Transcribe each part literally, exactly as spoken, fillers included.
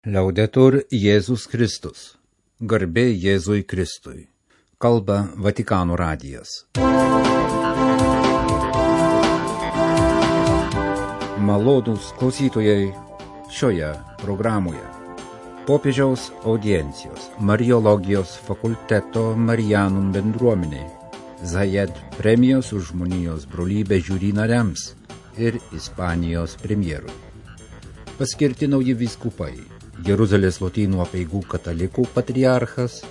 Liaudetur Jėzus Kristus. Garbė Jėzui Kristui. Kalba Vatikano radijas. Malonūs klausytojai šioje programoje. Popiežiaus audiencijos Mariologijos fakulteto Marijanum bendruomeniai, Zayed premijos už žmonijos brolybę žiuri nariams ir Ispanijos premjerui. Paskirti nauji vyskupai, Jeruzalės lotynų apeigų katalikų patriarchas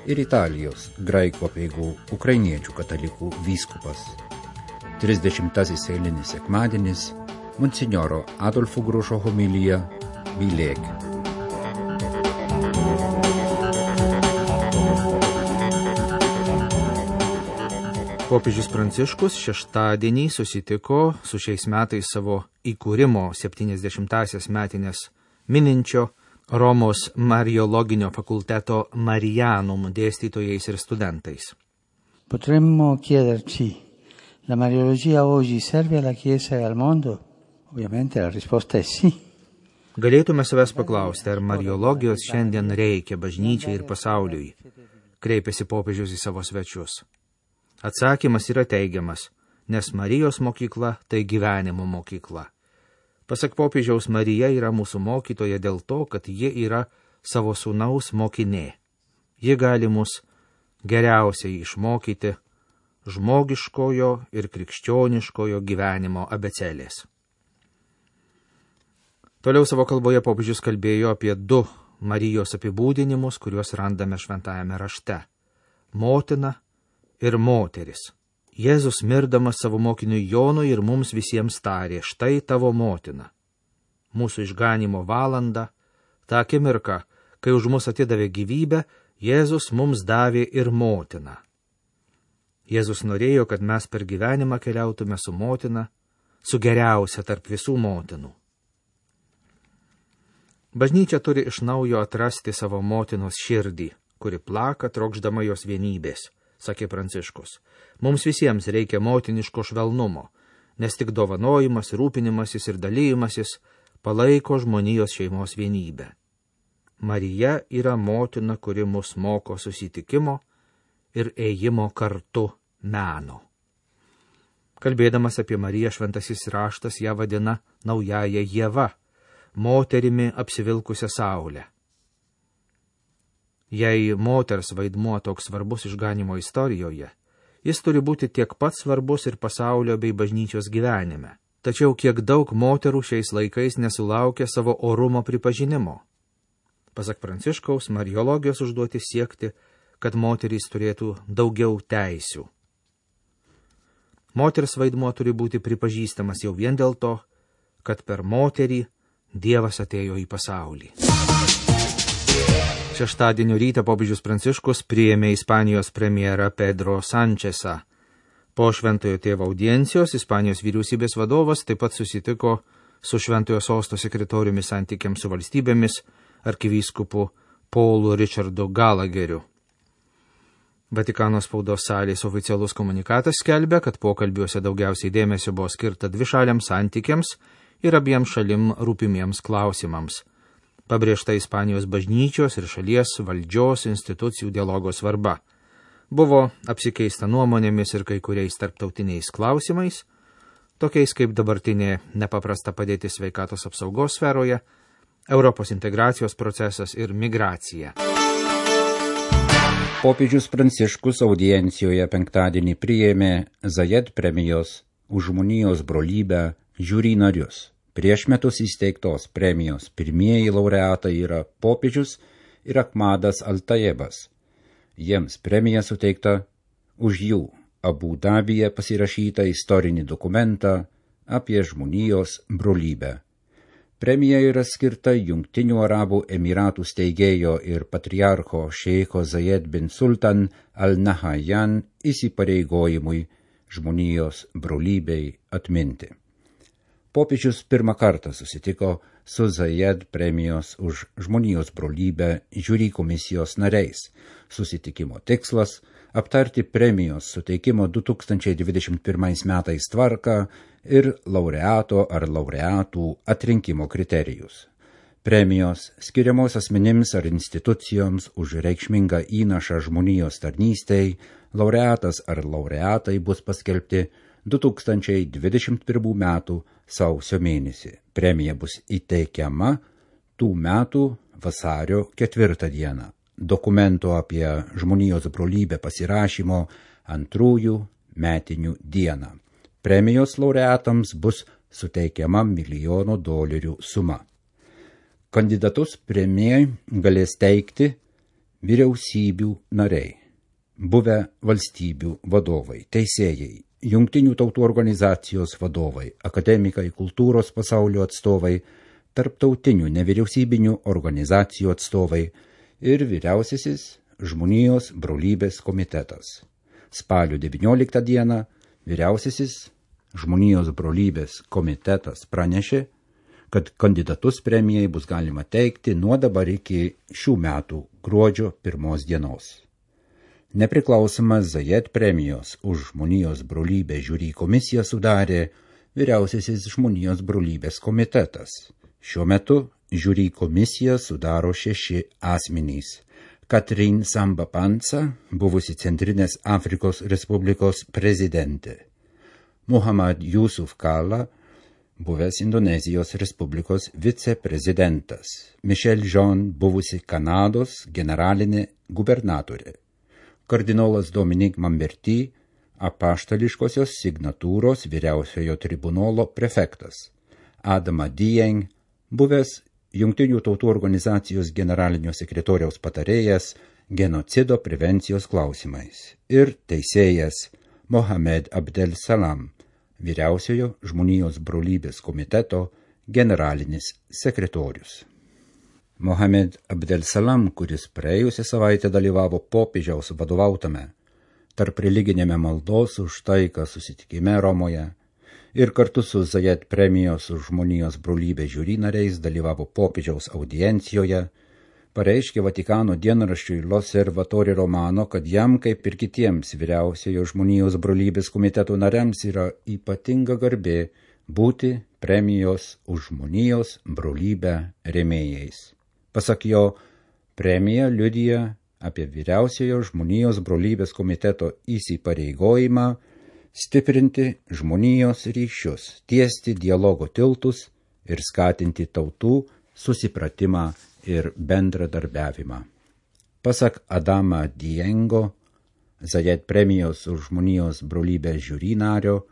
ir Italijos graikų apeigų ukrainiečių katalikų vyskupas. trisdešimtasis eilinis sekmadienis, monsinjoro Adolfo Grušo homilija Mylėk. Popiežius Pranciškus šeštadienį susitiko su šiais metais savo įkūrimo septyniasdešimtąsias metinės mininčio Romos Mariologinio fakulteto Marijanum dėstytojais ir studentais. Potremmo chiederci, la Mariologia oggi serve alla Chiesa e al mondo? Ovviamente la risposta è sì. Galėtume savęs paklausti, ar Mariologijos šiandien reikia bažnyčiai ir pasauliui, kreipėsi popiežius į savo svečius. Atsakymas yra teigiamas, nes Marijos mokykla tai gyvenimo mokykla. Pasak popiežiaus, Marija yra mūsų mokytoja dėl to, kad ji yra savo sūnaus mokinė. Ji gali mus geriausiai išmokyti žmogiškojo ir krikščioniškojo gyvenimo abėcėlės. Toliau savo kalboje popiežius kalbėjo apie du Marijos apibūdinimus, kuriuos randame šventajame rašte – motina ir moteris. Jėzus mirdamas savo mokiniui Jonui ir mums visiems tarė, štai tavo motina. Mūsų išganimo valanda, tą akimirką, kai už mus atidavė gyvybę, Jėzus mums davė ir motiną. Jėzus norėjo, kad mes per gyvenimą keliautume su motina, su geriausia tarp visų motinų. Bažnyčia turi iš naujo atrasti savo motinos širdį, kuri plaka trokšdama jos vienybės, sakė Pranciškus. Mums visiems reikia motiniško švelnumo, nes tik dovanojimas, rūpinimasis ir dalymasis palaiko žmonijos šeimos vienybę. Marija yra motina, kuri mus moko susitikimo ir ėjimo kartu meno. Kalbėdamas apie Mariją, šventasis raštas ją vadina naująja Ieva, moterimi apsivilkusią saulę. Jei moters vaidmuo toks svarbus išganimo istorijoje, jis turi būti tiek pat svarbus ir pasaulio bei bažnyčios gyvenime. Tačiau kiek daug moterų šiais laikais nesulaukia savo orumo pripažinimo. Pasak Pranciškaus, Mariologijos užduotis siekti, kad moterys turėtų daugiau teisių. Moters vaidmuo turi būti pripažįstamas jau vien dėl to, kad per moterį Dievas atėjo į pasaulį. Šeštadienio rytą popiežius Pranciškus priėmė Ispanijos premjerą Pedro Sančesą. Po Šventojo tėvo audiencijos Ispanijos vyriausybės vadovas taip pat susitiko su Šventojo sosto sekretoriumi santykiams su valstybėmis arkivyskupu Paulu Richardu Galageriu. Vatikano spaudos salės oficialus komunikatas skelbia, kad pokalbiuose daugiausiai dėmesio buvo skirta dvišaliams santykiams ir abiems šalim rūpimiems klausimams. Pabrėžta Ispanijos bažnyčios ir šalies valdžios institucijų dialogo svarba. Buvo apsikeista nuomonėmis ir kai kuriais tarptautiniais klausimais, tokiais kaip dabartinė nepaprasta padėtis sveikatos apsaugos sferoje, Europos integracijos procesas ir migracija. Popiežius Pranciškus audiencijoje penktadienį priėmė Zayed premijos už žmonijos brolybę žiuri narius. Prieš metus įsteigtos premijos pirmieji laureatai yra popiežius ir Ahmadas Al-Tayebas. Jiems premija suteikta už jų Abu Dabyje pasirašytą istorinį dokumentą apie žmonijos brolybę. Premija yra skirta Jungtinių Arabų Emiratų steigėjo ir patriarcho šeiko Zayed bin Sultan Al-Nahyan įsipareigojimui žmonijos brolybei atminti. Popiežius pirmą kartą susitiko su Zayed premijos už žmonijos brolybę žiuri komisijos nariais. Susitikimo tikslas – aptarti premijos suteikimo du tūkstančiai dvidešimt pirmais metais tvarką ir laureato ar laureatų atrinkimo kriterijus. Premijos skiriamos asmenims ar institucijoms už reikšmingą įnašą žmonijos tarnystei, laureatas ar laureatai bus paskelbti du tūkstančiai dvidešimt pirmų metų sausio mėnesį. Premija bus įteikiama tų metų vasario ketvirtą dieną. Dokumento apie žmonijos brolybę pasirašymo antrųjų metinių dieną. Premijos laureatams bus suteikiama milijono dolerių suma. Kandidatus premijai galės teikti vyriausybių nariai, buvę valstybių vadovai, teisėjai, jungtinių tautų organizacijos vadovai, akademikai, kultūros pasaulio atstovai, tarptautinių nevyriausybinių organizacijų atstovai ir vyriausiasis žmonijos brolybės komitetas. Spalio devynioliktą dieną vyriausiasis žmonijos brolybės komitetas pranešė, kad kandidatus premijai bus galima teikti nuo dabar iki šių metų gruodžio pirmos dienos. Nepriklausomas Zayed premijos už žmonijos brolybę žiūri komisiją sudarė vyriausiasis žmonijos brolybės komitetas. Šiuo metu žiūri komisiją sudaro šeši asmenys. Katrin Samba Panza, buvusi Centrinės Afrikos Respublikos prezidentė. Muhammad Yusuf Kala, buvęs Indonezijos Respublikos viceprezidentas. Michelle John, buvusi Kanados generalinė gubernatorė. Kardinolas Dominik Mamberti, apaštališkosios signatūros vyriausiojo tribunolo prefektas. Adama Dieng, buvęs Jungtinių tautų organizacijos generalinio sekretoriaus patarėjas genocido prevencijos klausimais. Ir teisėjas Mohamed Abdel Salam, vyriausiojo žmonijos brolybės komiteto generalinis sekretorius. Mohamed Abdel Salam, kuris praėjusią savaitę dalyvavo popiežiaus vadovautame tarp religinėme maldos už taiką susitikime Romoje ir kartu su Zayed premijos už žmonijos brolybę žiūri nariais dalyvavo popiežiaus audiencijoje, pareiškė Vatikano dienraščiui L'Osservatore Romano, kad jam, kaip ir kitiems vyriausiojo žmonijos brolybės komiteto nariams, yra ypatinga garbė būti premijos už žmonijos brolybę rėmėjais. Pasak jo, premija liudija apie vyriausiojo žmonijos brolybės komiteto įsipareigojimą stiprinti žmonijos ryšius, tiesti dialogo tiltus ir skatinti tautų susipratimą ir bendradarbiavimą. Pasak Adama Diengo, Zayed premijos už žmonijos brolybę žiūri nario,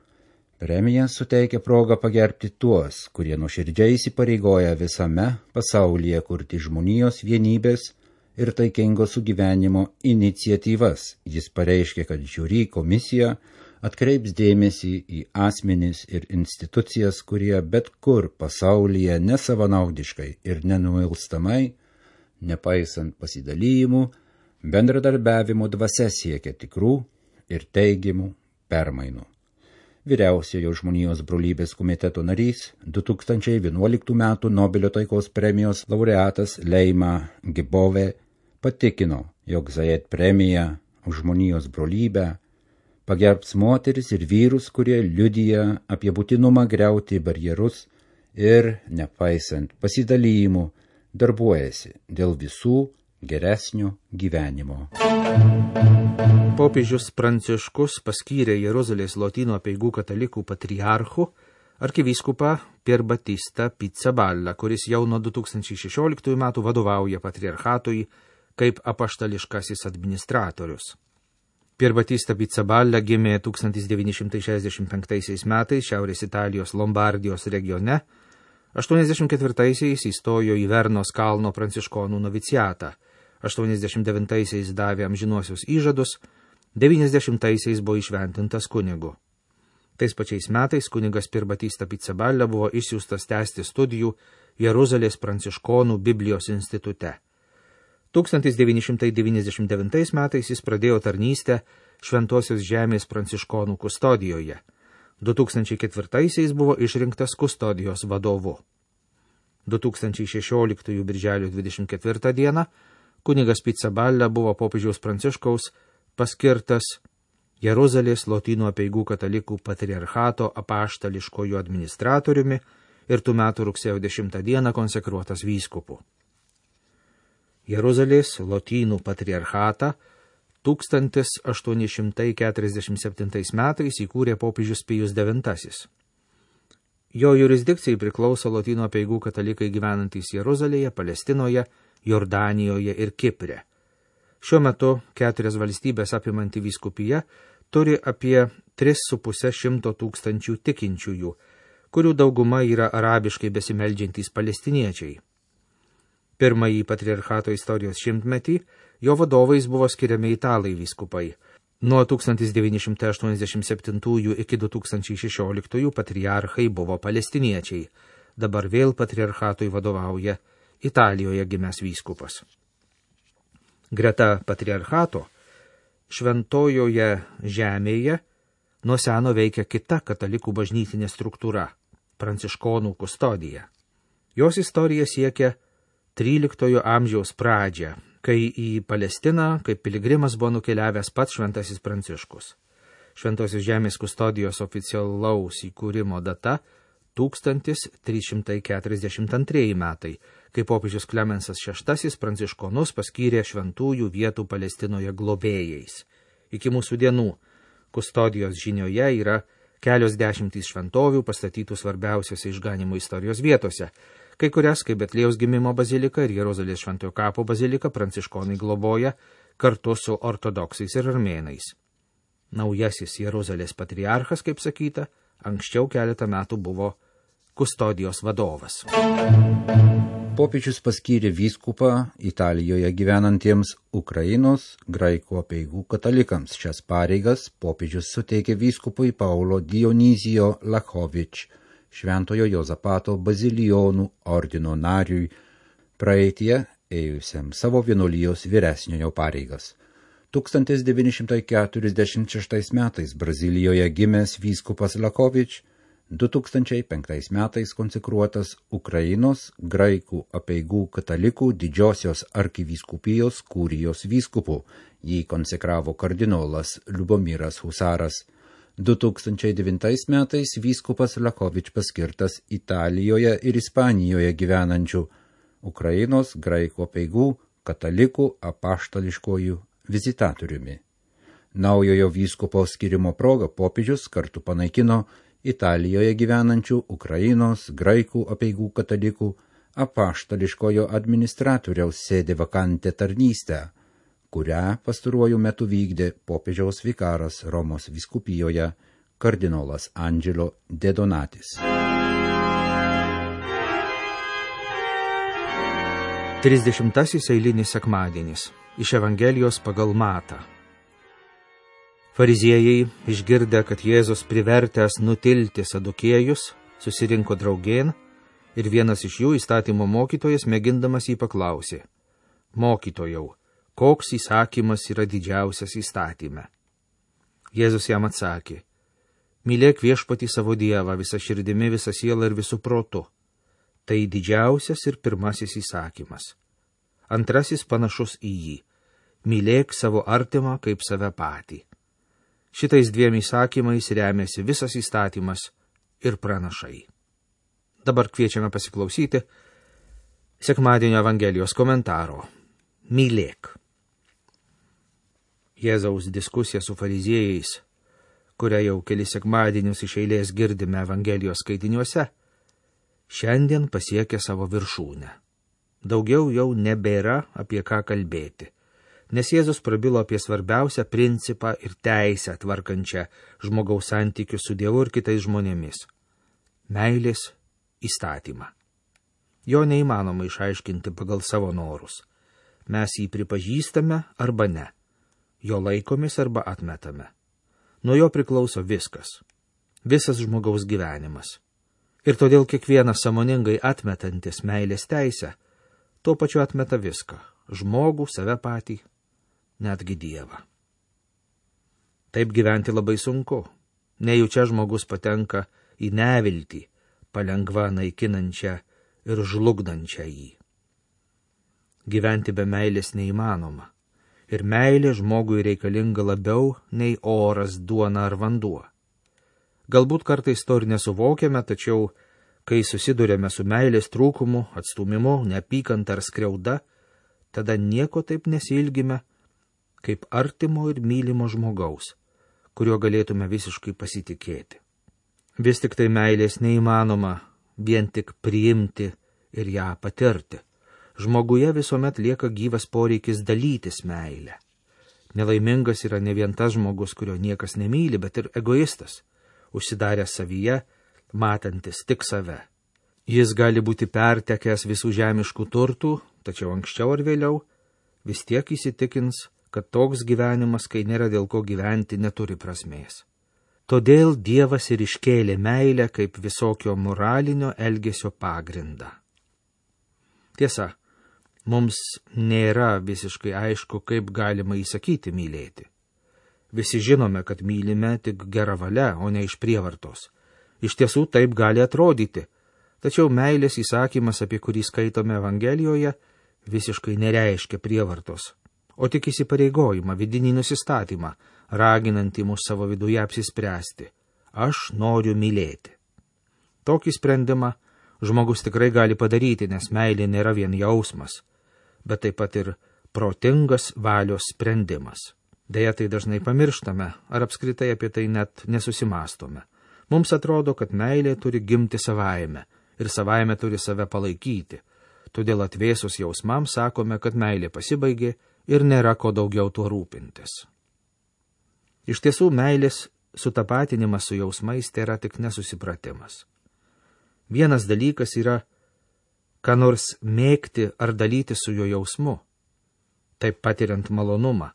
premija suteikia progą pagerbti tuos, kurie nuoširdžiai įsipareigoja visame pasaulyje kurti žmonijos vienybės ir taikingo sugyvenimo iniciatyvas. Jis pareiškė, kad žiūri komisija atkreips dėmesį į asmenis ir institucijas, kurie bet kur pasaulyje nesavanaudiškai ir nenuilstamai, nepaisant pasidalijimų, bendradarbiavimo dvasia siekia tikrų ir teigiamų permainų. Vyriausiojo žmonijos brolybės komiteto narys, du tūkstančiai vienuoliktų metų Nobelio taikos premijos laureatas Leima Gibove patikino, jog Zayed premija už žmonijos brolybę pagerbs moteris ir vyrus, kurie liudija apie būtinumą griauti barjerus ir, nepaisant pasidalijimų, darbuojasi dėl visų geresnio gyvenimo. Popiežius Pranciškus paskyrė Jeruzalės Lotynų apeigų katalikų patriarchu arkivyskupą Pier Battista Pizzaballa, kuris jau nuo du tūkstančiai šešioliktųjų metų vadovauja patriarchatui kaip apaštališkasis administratorius. Pier Battista Pizzaballa gimė tūkstantis devyni šimtai šešiasdešimt penktaisiais metais Šiaurės Italijos Lombardijos regione, aštuoniasdešimt ketvirtaisiais įstojo į Vernos kalno pranciškonų noviciatą, aštuoniasdešimt devintaisiais davė amžinuosius įžadus, devyniasdešimtaisiais buvo išventintas kunigu. Tais pačiais metais kunigas Pier Battista Pizzaballa buvo išsiųstas tęsti studijų Jeruzalės pranciškonų Biblijos institute. tūkstantis devyni šimtai devyniasdešimt devintais metais jis pradėjo tarnystę Šventosios žemės pranciškonų kustodijoje. du tūkstančiai ketvirtaisiais buvo išrinktas kustodijos vadovu. du tūkstančiai šešioliktųjų birželio dvidešimt ketvirtą dieną kunigas Pizzaballa buvo popiežiaus Pranciškaus paskirtas Jeruzalės Lotynų apeigų katalikų patriarchato apaštališkoju administratoriumi ir tų metų rugsėjo dešimtą dieną konsekruotas vyskupu. Jeruzalės Lotynų patriarchatą tūkstantis aštuoni šimtai keturiasdešimt septintais metais įkūrė popiežius Pijus devintasis. Jo jurisdikcijai priklauso Lotynų apeigų katalikai gyvenantys Jeruzalėje, Palestinoje, Jordanijoje ir Kipre. Šiuo metu keturias valstybės apimanti vyskupija turi apie tris su puse šimto tūkstančių tikinčiųjų, kurių dauguma yra arabiškai besimeldžiantys palestiniečiai. Pirmąjį patriarchato istorijos šimtmetį jo vadovais buvo skiriami italai vyskupai. Nuo tūkstantis devyni šimtai aštuoniasdešimt septintųjų iki du tūkstančiai šešioliktųjų patriarchai buvo palestiniečiai. Dabar vėl patriarchatui vadovauja Italijoje gimęs vyskupas. Greta patriarchato šventojoje žemėje nuo seno veikia kita katalikų bažnytinė struktūra – pranciškonų kustodija. Jos istorija siekia tryliktojo amžiaus pradžią, kai į Palestiną kaip piligrimas buvo nukeliavęs pats šventasis Pranciškus. Šventosios žemės kustodijos oficialaus įkūrimo data tūkstantis trys šimtai keturiasdešimt antrieji metai, kai popiežius Klemensas šeštasis pranciškonus paskyrė šventųjų vietų Palestinoje globėjais. Iki mūsų dienų kustodijos žinioje yra kelios dešimtys šventovių pastatytų svarbiausiose išganimo istorijos vietose. Kai kurias, kaip Betliejaus gimimo bazilika ir Jeruzalės šventojo kapo bazilika, pranciškonai globoja kartu su ortodoksais ir armėnais. Naujasis Jeruzalės patriarchas, kaip sakyta, anksčiau keletą metų buvo kustodijos vadovas. Popiežius paskyrė vyskupą Italijoje gyvenantiems Ukrainos graikų apeigų katalikams. Šias pareigas popiežius suteikė vyskupui Paulo Dionizijo Lachovič, Šventojo Jozapato bazilijonų ordino nariui, praeitie ėjusiam savo vienuolijos vyresniojo pareigas. tūkstantis devyni šimtai keturiasdešimt šeštais metais Brazilijoje gimęs vyskupas Lachovič, du tūkstančiai penktais metais konsekruotas Ukrainos graikų apeigų katalikų didžiosios arkivyskupijos kurijos vyskupu, jį konsekravo kardinolas Liubomiras Husaras. du tūkstančiai devintais metais vyskupas Lachovič paskirtas Italijoje ir Ispanijoje gyvenančių Ukrainos graikų apeigų katalikų apaštališkojų vizitatoriumi. Naujojo vyskupo skirimo proga popiežius kartu panaikino Italijoje gyvenančių Ukrainos graikų apeigų katalikų apaštališkojo administratoriaus sėdė vakantę tarnystę, kurią pastaruoju metu vykdė popiežiaus vikaras Romos vyskupijoje kardinolas Angelo De Donatis. Trisdešimtasis eilinis sekmadienis iš Evangelijos pagal Matą. Fariziejai, išgirdę, kad Jėzus privertęs nutilti sadukėjus, susirinko draugėn ir vienas iš jų, įstatymo mokytojas, mėgindamas jį paklausė: Mokytojau, koks įsakymas yra didžiausias įstatyme? Jėzus jam atsakė: Mylėk viešpatį savo Dievą visą širdimi, visą sielą ir visų protu. Tai didžiausias ir pirmasis įsakymas. Antrasis panašus į jį: mylėk savo artimą kaip save patį. Šitais dviem įsakymais remiasi visas įstatymas ir pranašai. Dabar kviečiame pasiklausyti sekmadienio Evangelijos komentaro. Mylėk. Jėzaus diskusija su fariziejais, kurią jau kelis sekmadienius iš eilės girdime Evangelijos skaitiniuose, šiandien pasiekė savo viršūnę. Daugiau jau nebėra apie ką kalbėti, nes Jėzus prabilo apie svarbiausią principą ir teisę tvarkančią žmogaus santykius su Dievu ir kitais žmonėmis – meilės įstatymą. Jo neįmanoma išaiškinti pagal savo norus. Mes jį pripažįstame arba ne, jo laikomis arba atmetame. Nuo jo priklauso viskas, visas žmogaus gyvenimas. Ir todėl kiekvienas sąmoningai atmetantis meilės teisę, tuo pačiu atmeta viską – žmogų, save patį, netgi Dievą. Taip gyventi labai sunku. Nejučia žmogus patenka į neviltį, palengva naikinančią ir žlugdančią jį. Gyventi be meilės neįmanoma. Ir meilė žmogui reikalinga labiau nei oras, duona ar vanduo. Galbūt kartais to ir nesuvokiame, tačiau Kai susidurėme su meilės trūkumu, atstumimu, neapykanta ar skriauda, tada nieko taip nesilgime, kaip artimo ir mylimo žmogaus, kuriuo galėtume visiškai pasitikėti. Vis tik tai meilės neįmanoma vien tik priimti ir ją patirti. Žmoguje visuomet lieka gyvas poreikis dalytis meilę. Nelaimingas yra ne vien tas žmogus, kurio niekas nemyli, bet ir egoistas, užsidaręs savyje, matantis tik save. Jis gali būti pertekęs visų žemiškų turtų, tačiau anksčiau ar vėliau vis tiek įsitikins, kad toks gyvenimas, kai nėra dėl ko gyventi, neturi prasmės. Todėl Dievas ir iškėlė meilę kaip visokio moralinio elgesio pagrindą. Tiesa, mums nėra visiškai aišku, kaip galima įsakyti mylėti. Visi žinome, kad mylime tik gera valia, o ne iš prievartos. Iš tiesų taip gali atrodyti, tačiau meilės įsakymas, apie kurį skaitome Evangelijoje, visiškai nereiškia prievartos, o tik įsipareigojimą, vidinį nusistatymą, raginantį mus savo viduje apsispręsti. Aš noriu mylėti. Tokį sprendimą žmogus tikrai gali padaryti, nes meilė nėra vien jausmas, bet taip pat ir protingas valios sprendimas. Deja, tai dažnai pamirštame, ar apskritai apie tai net nesusimastome. Mums atrodo, kad meilė turi gimti savaime ir savaime turi save palaikyti. Todėl atvėsus jausmams sakome, kad meilė pasibaigė ir nėra ko daugiau tuo rūpintis. Iš tiesų, meilės sutapatinimas su jausmais tai yra tik nesusipratimas. Vienas dalykas yra, ką nors mėgti ar dalyti su jo jausmu, taip patiriant malonumą,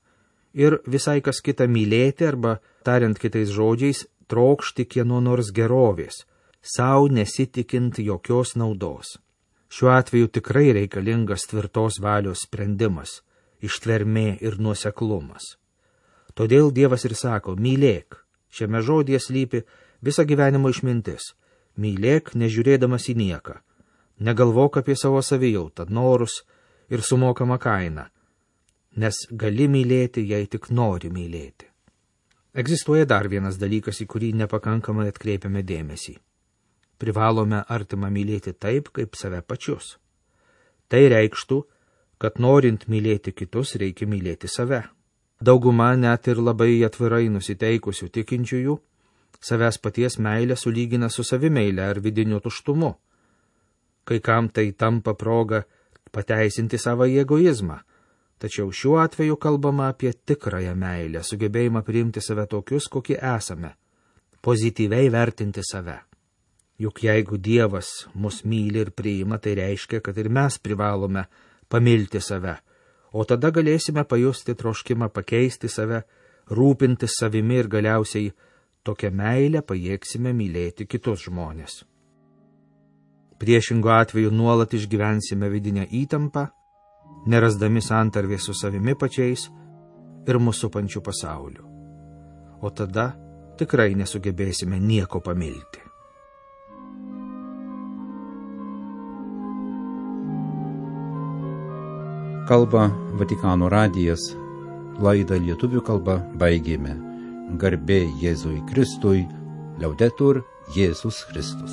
ir visai kas kita mylėti arba, tariant kitais žodžiais, trokšti kieno nors gerovės, sau nesitikint jokios naudos. Šiuo atveju tikrai reikalingas tvirtos valios sprendimas, ištvermė ir nuoseklumas. Todėl Dievas ir sako, mylėk. Šiame žodyje slypi visa gyvenimo išmintis. Mylėk, nežiūrėdamas į nieką. Negalvok apie savo savijautą, norus ir sumokamą kainą, nes gali mylėti, jei tik nori mylėti. Egzistuoja dar vienas dalykas, į kurį nepakankamai atkreipiame dėmesį. Privalome artimą mylėti taip, kaip save pačius. Tai reikštų, kad norint mylėti kitus, reikia mylėti save. Dauguma net ir labai atvirai nusiteikusių tikinčiųjų savęs paties meilę sulygina su savimeile ar vidiniu tuštumu. Kai kam tai tampa proga pateisinti savo egoizmą, tačiau šiuo atveju kalbama apie tikrąją meilę, sugebėjimą priimti save tokius, kokie esame, pozityviai vertinti save. Juk jeigu Dievas mus myli ir priima, tai reiškia, kad ir mes privalome pamilti save, o tada galėsime pajusti troškimą pakeisti save, rūpintis savimi ir galiausiai tokią meilę pajėgsime mylėti kitus žmonės. Priešingo atveju nuolat išgyvensime vidinę įtampą, nerasdami santarvės su savimi pačiais ir mūsų supančiu pasauliu. O tada tikrai nesugebėsime nieko pamilti. Kalba Vatikano radijas, laidą lietuvių kalba baigėme. Garbė Jėzui Kristui, Liaudetur Jėzus Kristus.